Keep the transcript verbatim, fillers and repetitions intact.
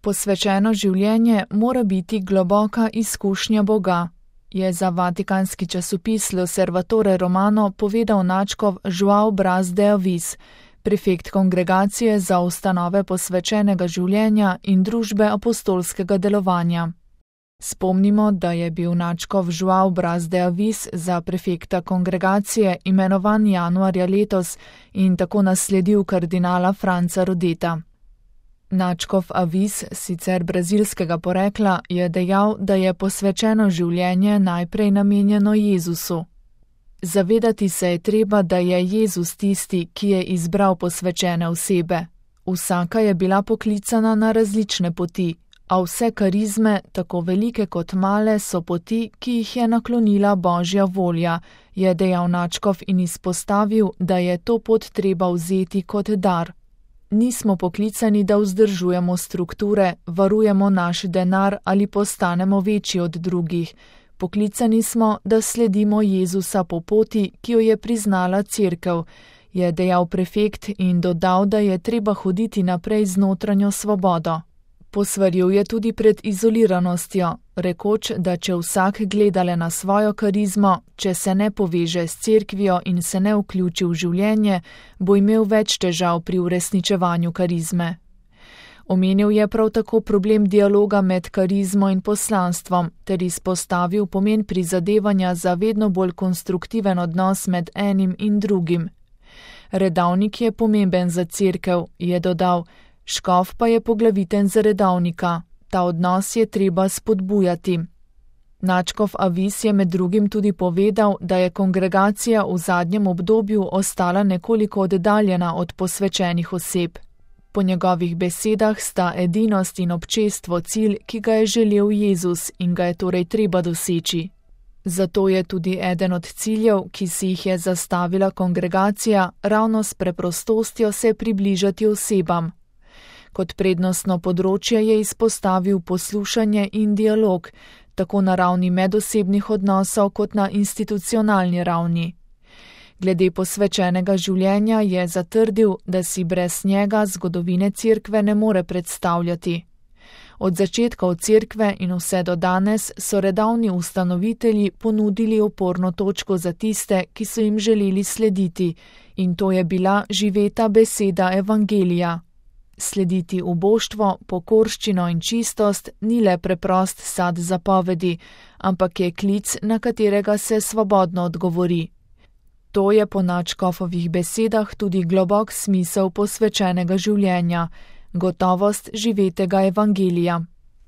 Posvečeno življenje mora biti globoka izkušnja Boga, je za vatikanski časopis L'Osservatore Romano povedal nadškof João Braz de Avis, prefekt kongregacije za ustanove posvečenega življenja in družbe apostolskega delovanja. Spomnimo, da je bil nadškof João Braz de Avis za prefekta kongregacije imenovan januarja letos in tako nasledil kardinala Franca Rodeta. Nadškof Avis, sicer brazilskega porekla, je dejal, da je posvečeno življenje najprej namenjeno Jezusu. Zavedati se je treba, da je Jezus tisti, ki je izbral posvečene osebe. Vsaka je bila poklicana na različne poti, a vse karizme, tako velike kot male, so poti, ki jih je naklonila Božja volja, je dejal nadškof in izpostavil, da je to pot treba vzeti kot dar. Nismo poklicani, da vzdržujemo strukture, varujemo naš denar ali postanemo večji od drugih. Poklicani smo, da sledimo Jezusa po poti, ki jo je priznala Cerkev, je dejal prefekt in dodal, da je treba hoditi naprej z notranjo svobodo. Posvaril je tudi pred izoliranostjo, rekoč, da če vsak gleda le na svojo karizmo, če se ne poveže s cerkvijo in se ne vključi v življenje, bo imel več težav pri uresničevanju karizme. Omenil je prav tako problem dialoga med karizmo in poslanstvom, ter izpostavil pomen prizadevanja za vedno bolj konstruktiven odnos med enim in drugim. Redavnik je pomemben za cerkev, je dodal, škof pa je poglaviten za redavnika, ta odnos je treba spodbujati. Nadškof Avis je med drugim tudi povedal, da je kongregacija v zadnjem obdobju ostala nekoliko oddaljena od posvečenih oseb. Po njegovih besedah sta edinost in občestvo cilj, ki ga je želel Jezus in ga je torej treba doseči. Zato je tudi eden od ciljev, ki si jih je zastavila kongregacija, ravno s preprostostjo se približati osebam. Kot prednostno področje je izpostavil poslušanje in dialog, tako na ravni medosebnih odnosov kot na institucionalni ravni. Glede posvečenega življenja je zatrdil, da si brez njega zgodovine cerkve ne more predstavljati. Od začetkov cerkve in vse do danes so redavni ustanovitelji ponudili oporno točko za tiste, ki so jim želeli slediti, in to je bila živeta beseda evangelija. Slediti uboštvo, pokorščino in čistost ni le preprost sad zapovedi, ampak je klic, na katerega se svobodno odgovori. To je po nadškofovih besedah tudi globok smisel posvečenega življenja, gotovost živetega evangelija.